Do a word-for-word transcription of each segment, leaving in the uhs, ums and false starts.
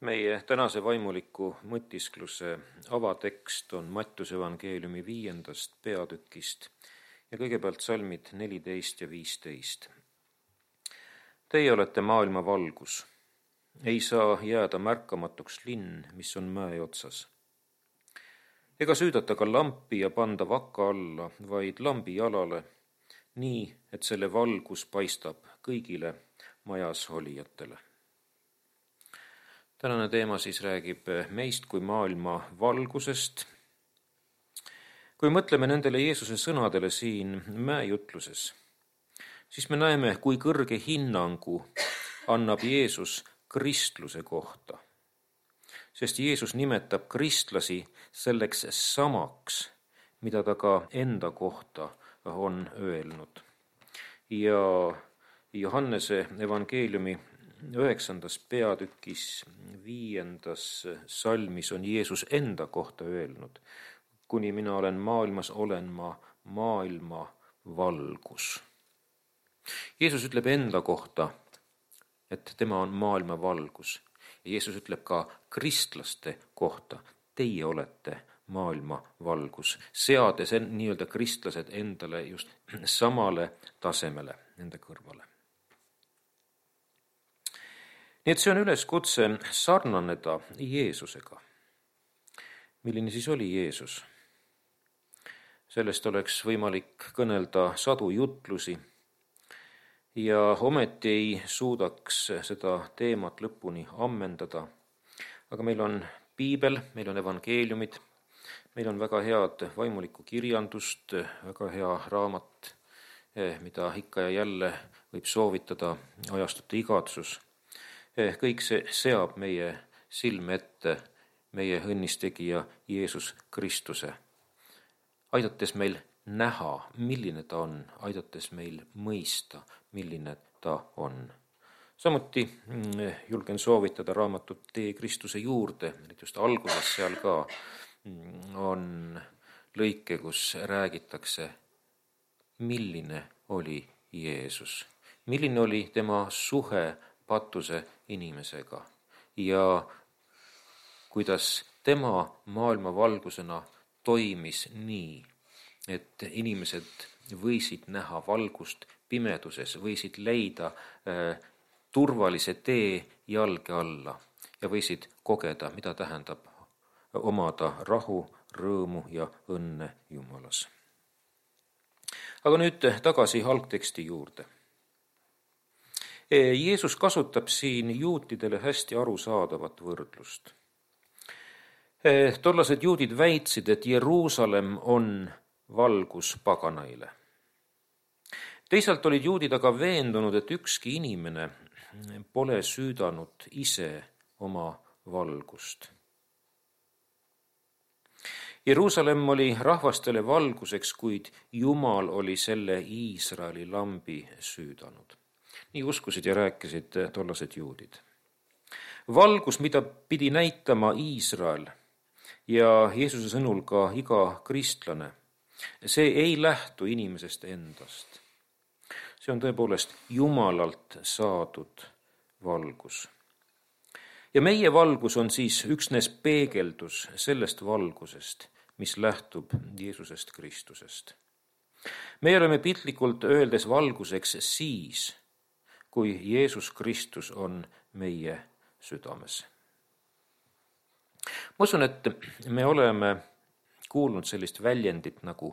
Meie tänase vaimuliku mõtiskluse avatekst on Mattiuse evangeeliumi viiendast peatükist ja kõigepealt salmid neliteist ja viisteist. Teie olete maailma valgus. Ei saa jääda märkamatuks linn, mis on mäe otsas. Ega süüdata ka lampi ja panda vaka alla, vaid lambi jalale, nii, et selle valgus paistab kõigile majas olijatele. Tänane teema siis räägib meist kui maailma valgusest. Kui mõtleme nendele Jeesuse sõnadele siin mäejutluses, siis me näeme, kui kõrge hinnangu annab Jeesus kristluse kohta. Sest Jeesus nimetab kristlasi selleks samaks, mida ta ka enda kohta on öelnud. Ja Johannese evangeeliumi üheksandas peatükis viiendas salmis on Jeesus enda kohta öelnud: kuni mina olen maailmas, olen ma maailma valgus. Jeesus ütleb enda kohta, et tema on maailma valgus. Ja Jeesus ütleb ka kristlaste kohta: teie olete maailma valgus, seades nii-öelda kristlased endale just samale tasemele nende kõrvale. Nii et see on üleskutse sarnaneda Jeesusega. Milline siis oli Jeesus? Sellest oleks võimalik kõnelda sadu jutlusi ja ometi ei suudaks seda teemat lõpuni ammendada. Aga meil on piibel, meil on evangeeliumid, meil on väga head vaimulikku kirjandust, väga hea raamat, mida ikka ja jälle võib soovitada, ajastute igatsus. Kõik see seab meie silme ette meie õnnistegija Jeesus Kristuse, aidates meil näha, milline ta on, aidates meil mõista, milline ta on. Samuti julgen soovitada raamatut Tee Kristuse juurde, just alguses seal ka on lõike, kus räägitakse, milline oli Jeesus, milline oli tema suhe patuse inimesega ja kuidas tema maailma valgusena toimis nii, et inimesed võisid näha valgust pimeduses, võisid leida äh, turvalise tee jalge alla ja võisid kogeda, mida tähendab omada rahu, rõõmu ja õnne Jumalas. Aga nüüd tagasi algteksti juurde. Jeesus kasutab siin juutidele hästi arusaadavat võrdlust. Tollased juudid väitsid, et Jeruusalemm on valgus paganaile. Teisalt olid juudid aga veendunud, et ükski inimene pole süüdanud ise oma valgust. Jeruusalemm oli rahvastele valguseks, kuid Jumal oli selle Iisraeli lambi süüdanud. Nii uskusid ja rääkisid tollased juudid. Valgus, mida pidi näitama Iisrael ja Jeesuse sõnul ka iga kristlane, see ei lähtu inimesest endast. See on tõepoolest Jumalalt saadud valgus. Ja meie valgus on siis üksnes peegeldus sellest valgusest, mis lähtub Jeesusest Kristusest. Me oleme piltlikult öeldes valguseks siis, kui Jeesus Kristus on meie südames. Ma usun, et me oleme kuulnud sellist väljendit nagu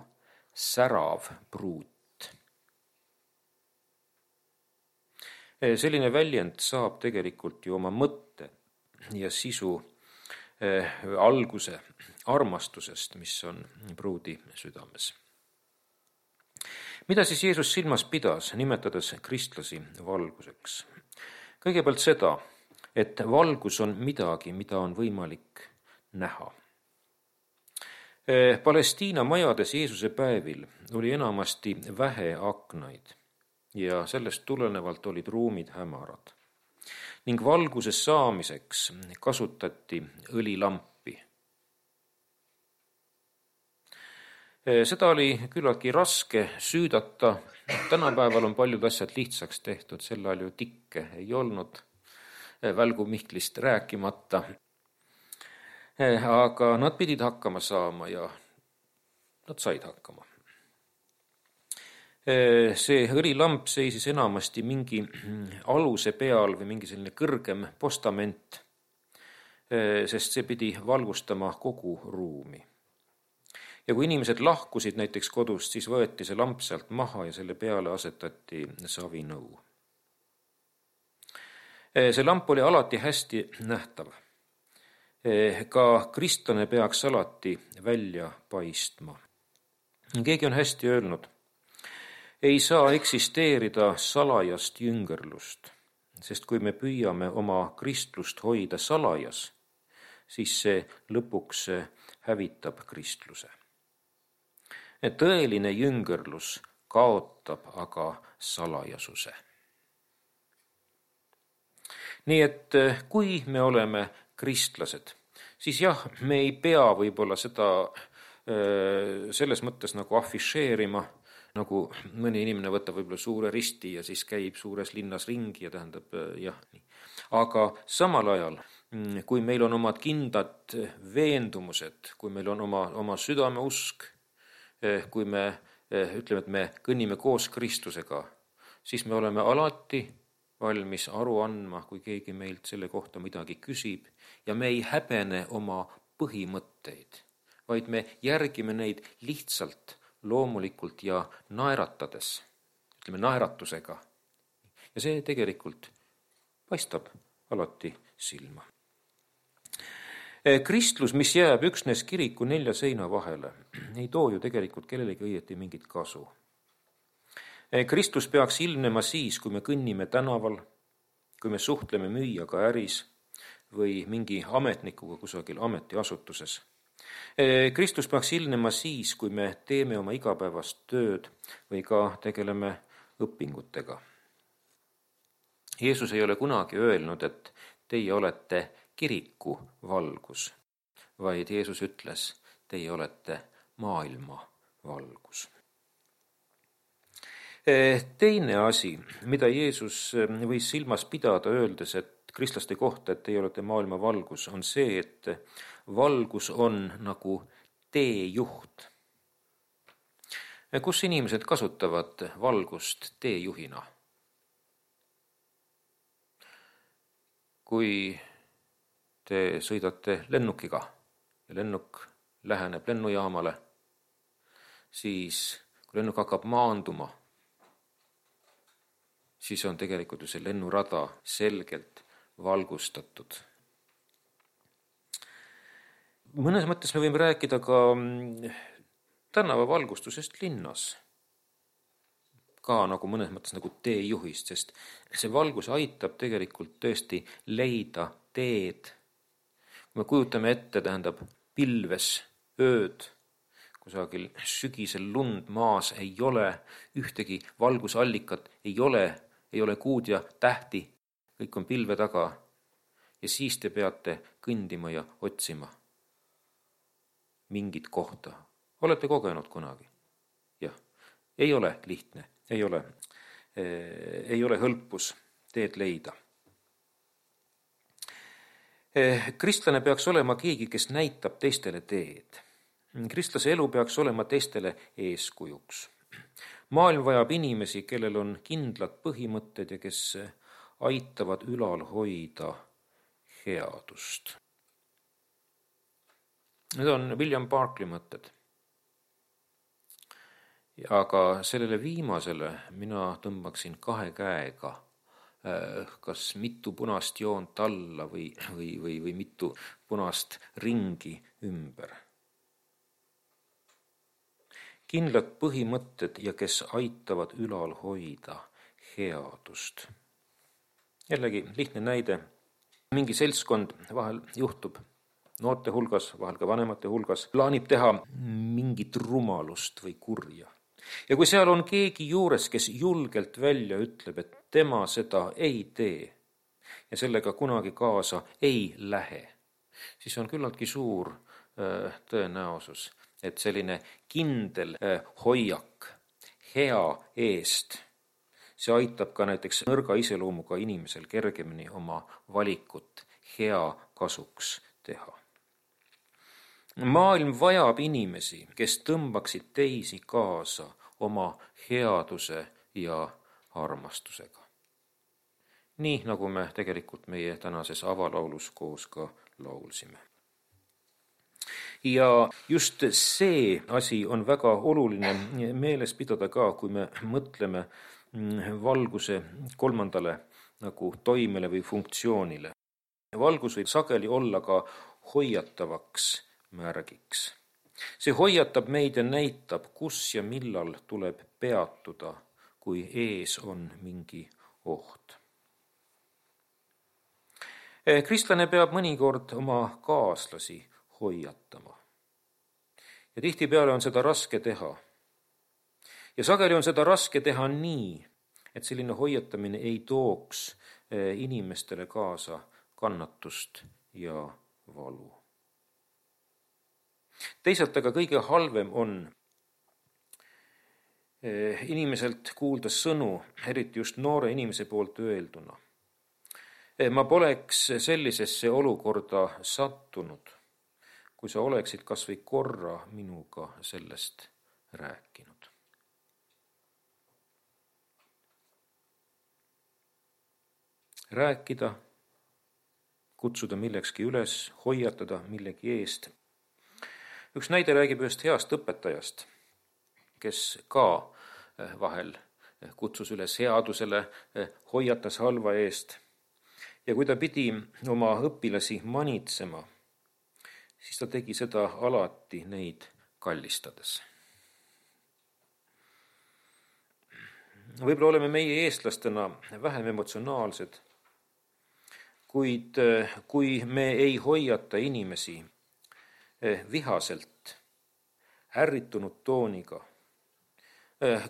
särav pruut. Selline väljend saab tegelikult ju oma mõtte ja sisu eh, alguse armastusest, mis on pruudi südames. Mida siis Jeesus silmas pidas, nimetades kristlasi valguseks? Kõigepealt seda, et valgus on midagi, mida on võimalik näha. Palestiina majades Jeesuse päevil oli enamasti vähe aknaid ja sellest tulenevalt olid ruumid hämarad. Ning valguse saamiseks kasutati õlilampi. Seda oli küllaltki raske süüdata. Tänapäeval on paljud asjad lihtsaks tehtud, sel ajal ju tikke ei olnud. Välgu Mihklist rääkimata. Aga nad pidid hakkama saama ja nad said hakkama. See õlilamp seisis enamasti mingi aluse peal või mingi selline kõrgem postament, sest see pidi valgustama kogu ruumi. Ja kui inimesed lahkusid näiteks kodust, siis võeti see lamp sealt maha ja selle peale asetati savinõu. See lamp oli alati hästi nähtav. Ka kristlane peaks alati välja paistma. Keegi on hästi öelnud, ei saa eksisteerida salajast jüngerlust, sest kui me püüame oma kristlust hoida salajas, siis see lõpuks hävitab kristluse. Tõeline jüngerlus kaotab aga salajasuse. Nii et kui me oleme kristlased, siis jah, me ei pea võib-olla seda selles mõttes nagu afišeerima, nagu mõni inimene võtab võib-olla suure risti ja siis käib suures linnas ringi ja tähendab jah. Nii. Aga samal ajal, kui meil on omad kindlad veendumused, kui meil on oma, oma südame usk, kui me ütleme, et me kõnnime koos Kristusega, siis me oleme alati valmis aru andma, kui keegi meilt selle kohta midagi küsib ja me ei häbene oma põhimõtteid, vaid me järgime neid lihtsalt, loomulikult ja naeratades, ütleme naeratusega. Ja see tegelikult paistab alati silma. Kristlus, mis jääb üksnes kiriku nelja seina vahele, ei too ju tegelikult kellelegi õieti mingit kasu. Kristus peaks ilmnema siis, kui me kõnnime tänaval, kui me suhtleme müüjaga äris või mingi ametnikuga kusagil ametiasutuses. Kristus peaks ilmnema siis, kui me teeme oma igapäevast tööd või ka tegeleme õpingutega. Jeesus ei ole kunagi öelnud, et teie olete kiriku valgus, vaid Jeesus ütles, teie olete maailma valgus. Teine asi, mida Jeesus võis silmas pidada öeldes, et kristlaste kohta, et teie olete maailma valgus, on see, et valgus on nagu teejuht. Kus inimesed kasutavad valgust teejuhina? Kui te sõidate lennukiga ja lennuk läheneb lennujaamale, siis kui lennuk hakkab maanduma, siis on tegelikult ju see lennurada selgelt valgustatud. Mõnes mõttes me võime rääkida ka tänavavalgustusest linnas. Ka nagu mõnes mõttes nagu teejuhist, sest see valgus aitab tegelikult tõesti leida teed. Kui me kujutame ette, tähendab pilves ööd, kusagil sügisel lund maas ei ole, ühtegi valgusallikat ei ole, ei ole kuud ja tähti, kõik on pilve taga ja siis te peate kõndima ja otsima mingit kohta. Olete kogenud kunagi? Jah, ei ole lihtne, ei ole, ei ole hõlpus teed leida. Kristlane peaks olema keegi, kes näitab teistele teed. Kristlase elu peaks olema teistele eeskujuks. Maailm vajab inimesi, kellel on kindlad põhimõtted ja kes aitavad ülal hoida headust. Need on William Barclay mõtted. Aga sellele viimasele mina tõmbaksin kahe käega, kas mitu punast joont alla või, või, või, või mitu punast ringi ümber. Kindlad põhimõtted ja kes aitavad ülal hoida headust. Jällegi lihtne näide. Mingi seltskond vahel juhtub noorte hulgas, vahel ka vanemate hulgas, plaanib teha mingit rumalust või kurja. Ja kui seal on keegi juures, kes julgelt välja ütleb, et tema seda ei tee ja sellega kunagi kaasa ei lähe, siis on küllaltki suur äh, tõenäosus, et selline kindel äh, hoiak hea eest, see aitab ka näiteks nõrga iseloomuga inimesel kergemini oma valikut hea kasuks teha. Maailm vajab inimesi, kes tõmbaksid teisi kaasa oma headuse ja armastusega. Nii nagu me tegelikult meie tänases avalaulus koos ka laulsime. Ja just see asi on väga oluline meeles pidada ka, kui me mõtleme valguse kolmandale nagu toimele või funktsioonile. Valgus võib sageli olla ka hoiatavaks märgiks. See hoiatab meid ja näitab, kus ja millal tuleb peatuda, kui ees on mingi oht. Kristlane peab mõnikord oma kaaslasi hoiatama. Ja tihtipeale on seda raske teha. Ja sageli on seda raske teha nii, et selline hoiatamine ei tooks inimestele kaasa kannatust ja valu. Teisalt aga kõige halvem on inimeselt kuulda sõnu, eriti just noore inimese poolt öelduna. Ma poleks sellisesse olukorda sattunud, kui sa oleksid kas või korra minuga sellest rääkinud. Rääkida, kutsuda millekski üles, hoiatada millegi eest. Üks näide räägib ühest heast õpetajast, kes ka vahel kutsus üles headusele, hoiatas halva eest. Ja kui ta pidi oma õpilasi manitsema, siis ta tegi seda alati neid kallistades. Võib-olla oleme meie eestlastena vähem emotsionaalsed, kuid kui me ei hoiata inimesi vihaselt, ärritunud tooniga,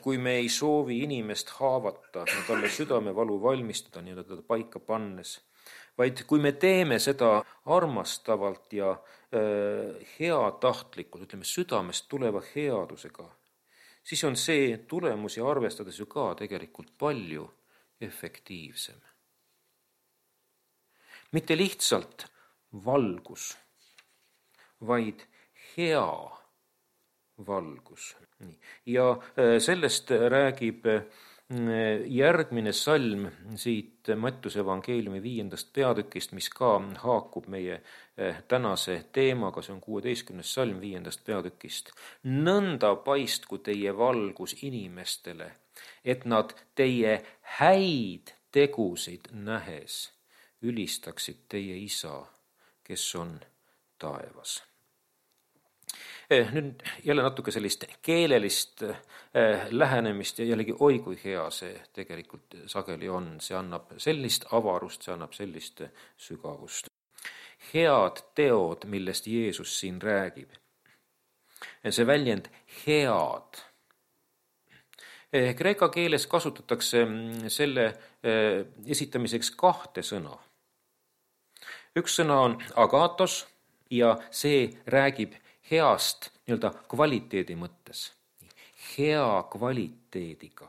kui me ei soovi inimest haavata ja talle südamevalu valmistada, nii teda paika pannes, vaid kui me teeme seda armastavalt ja heatahtlikult, ütleme südamest tuleva headusega, siis on see tulemusi arvestades ju ka tegelikult palju efektiivsem. Mitte lihtsalt valgus, vaid hea valgus. Ja sellest räägib järgmine salm siit Mattuse evangeeliumi viiendast peatükist, mis ka haakub meie tänase teemaga, see on kuueteistkümnes salm viiendast peatükist. Nõnda paistku teie valgus inimestele, et nad teie häid tegusid nähes ülistaksid teie isa, kes on taevas. Nüüd jälle natuke sellist keelelist lähenemist ja jällegi oi kui hea see tegelikult sageli on. See annab sellist avarust, see annab sellist sügavust. Head teod, millest Jeesus siin räägib. See väljend head. Kreeka keeles kasutatakse selle esitamiseks kahte sõna. Üks sõna on agatos ja see räägib heast nii-öelda kvaliteedi mõttes. Hea kvaliteediga.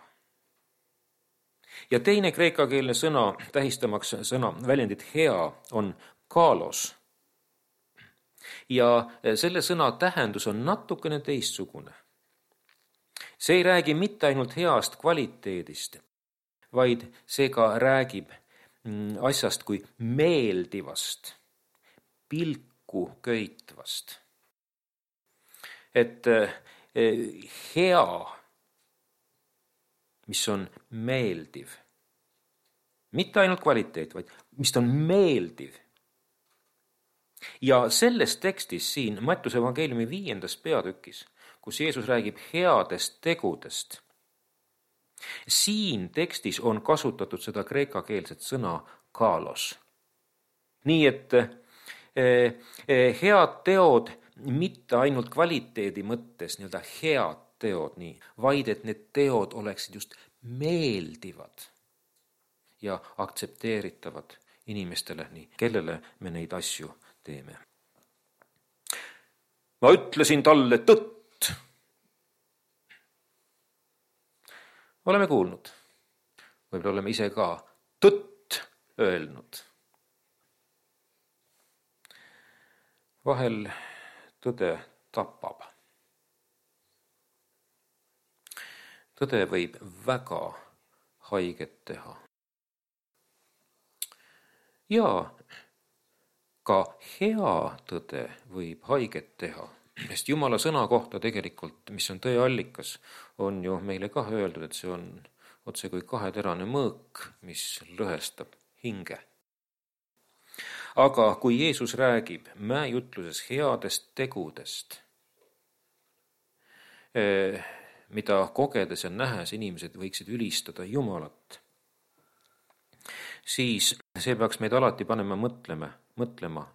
Ja teine kreekakeelne sõna, tähistamaks sõna väljendit hea, on kalos. Ja selle sõna tähendus on natukene teistsugune. See ei räägi mitte ainult heast kvaliteedist, vaid see ka räägib asjast kui meeldivast, pilku köitvast. Et hea, mis on meeldiv, mitte ainult kvaliteet, vaid mis on meeldiv. Ja selles tekstis siin Mattuse evangeeliumi viiendas peatükis, kus Jeesus räägib headest tegudest, siin tekstis on kasutatud seda kreekakeelset sõna kalos. Nii et head teod mitte ainult kvaliteedi mõttes, nii-öelda head teod, nii, vaid et need teod oleksid just meeldivad ja aktsepteeritavad inimestele, nii, kellele me neid asju teeme. Ma ütlesin talle tõtt. Oleme kuulnud. võib-olla oleme ise ka tõtt öelnud. Vahel tõde tapab. Tõde võib väga haiget teha. Ja ka hea tõde võib haiget teha, sest Jumala sõna kohta tegelikult, mis on tõe allikas, on ju meile ka öeldud, et see on otse kui kaheterane mõõk, mis lõhestab hinge. Aga kui Jeesus räägib mäejutluses headest tegudest, mida kogedes ja nähes inimesed võiksid ülistada Jumalat, siis see peaks meid alati panema mõtlema, mõtlema.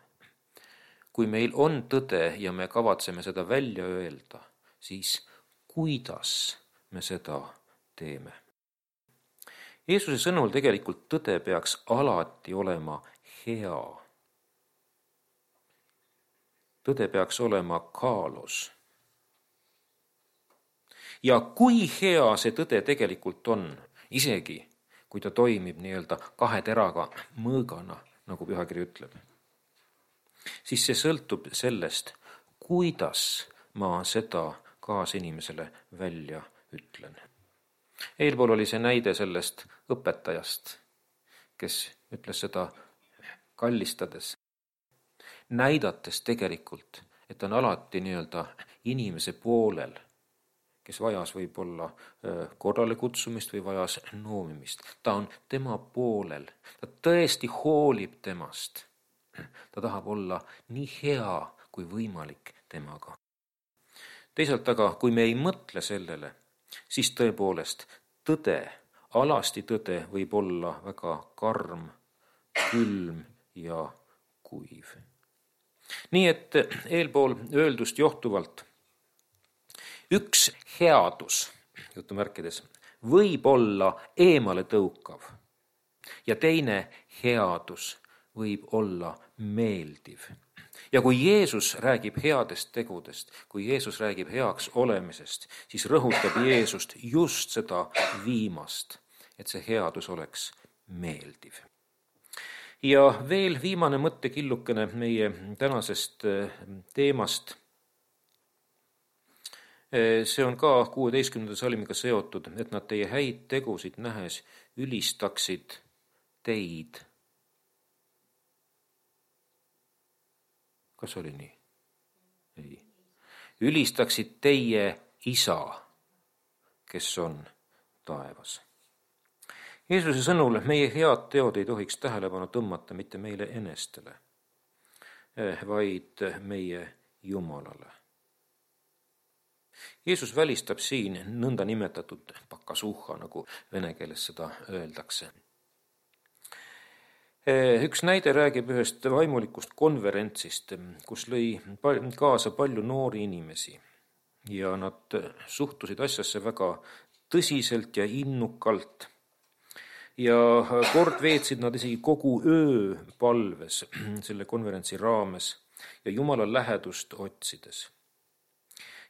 Kui meil on tõde ja me kavatseme seda välja öelda, siis kuidas me seda teeme? Jeesuse sõnul tegelikult tõde peaks alati olema hea. Tõde peaks olema kaalus. Ja kui hea see tõde tegelikult on, isegi kui ta toimib nii-öelda kahe teraga mõõgana, nagu pühakiri ütleb, siis see sõltub sellest, kuidas ma seda kaasinimesele välja ütlen. Eelpool oli see näide sellest õpetajast, kes ütles seda kallistades, näidates tegelikult, et on alati nii-öelda inimese poolel, kes vajas võib-olla korrale kutsumist või vajas noomimist. Ta on tema poolel, ta tõesti hoolib temast. Ta tahab olla nii hea kui võimalik temaga. Teisalt aga, kui me ei mõtle sellele, siis tõepoolest tõde, alasti tõde võib olla väga karm, külm ja kuiv. Nii et eelpool öeldust johtuvalt üks headus, jutumärkides, võib olla eemale tõukav ja teine headus võib olla meeldiv. Ja kui Jeesus räägib headest tegudest, kui Jeesus räägib heaks olemisest, siis rõhutab Jeesust just seda viimast, et see headus oleks meeldiv. Ja veel viimane mõttekillukene meie tänasest teemast. See on ka kuueteistkümnenda salmiga seotud, et nad teie häid tegusid nähes ülistaksid teid. Kas oli nii? Ei. Ülistaksid teie isa, kes on taevas. Jeesuse sõnul meie head teod ei tohiks tähelepanu tõmmata mitte meile enestele, vaid meie Jumalale. Jeesus välistab siin nõnda nimetatud pakasuhha, nagu vene keeles seda öeldakse. Üks näide räägib ühest vaimulikust konverentsist, kus lõi kaasa palju noori inimesi ja nad suhtusid asjasse väga tõsiselt ja innukalt. Ja kord veetsid nad isegi kogu öö palves selle konverentsi raames ja Jumala lähedust otsides.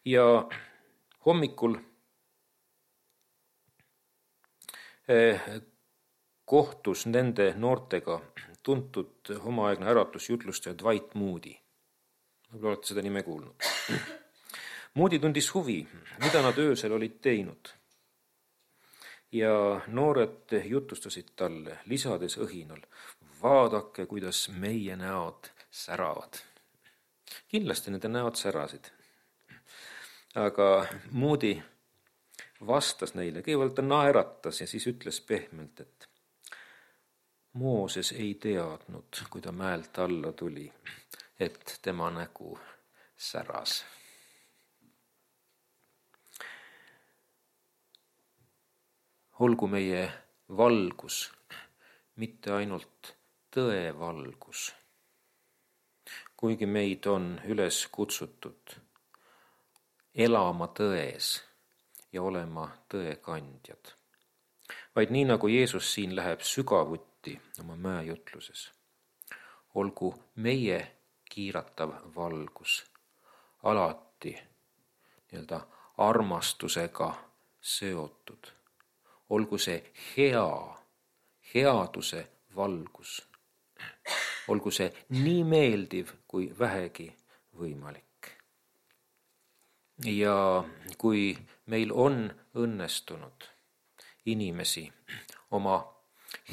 Ja hommikul kohtus nende noortega tuntud omaaegne äratusjutlustaja Dwight Moody. Võib-olla olete seda nime kuulnud. Moody tundis huvi, mida nad öösel olid teinud. Ja noored jutustasid talle, lisades õhinal, vaadake, kuidas meie näod säravad. Kindlasti nende näod särasid. Aga Moody vastas neile, kõigepealt ta naeratas ja siis ütles pehmelt, et Mooses ei teadnud, kui ta mäelt alla tuli, et tema nägu säras. Olgu meie valgus, mitte ainult tõe valgus, kuigi meid on üles kutsutud elama tões ja olema tõe kandjad. Vaid nii nagu Jeesus siin läheb sügavuti oma mäejutluses, olgu meie kiiratav valgus alati nii-öelda armastusega seotud. olgu see hea, headuse valgus. Olgu see nii meeldiv kui vähegi võimalik. Ja kui meil on õnnestunud inimesi oma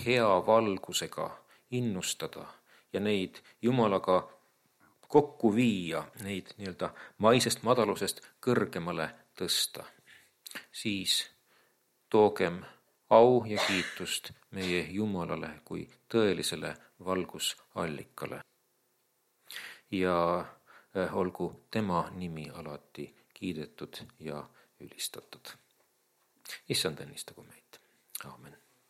hea valgusega innustada ja neid Jumalaga kokku viia, neid nii-öelda maisest madalusest kõrgemale tõsta, siis toogem au ja kiitust meie Jumalale kui tõelisele valgusallikale. Ja olgu tema nimi alati kiidetud ja ülistatud. Issand õnnistagu meid. Aamen.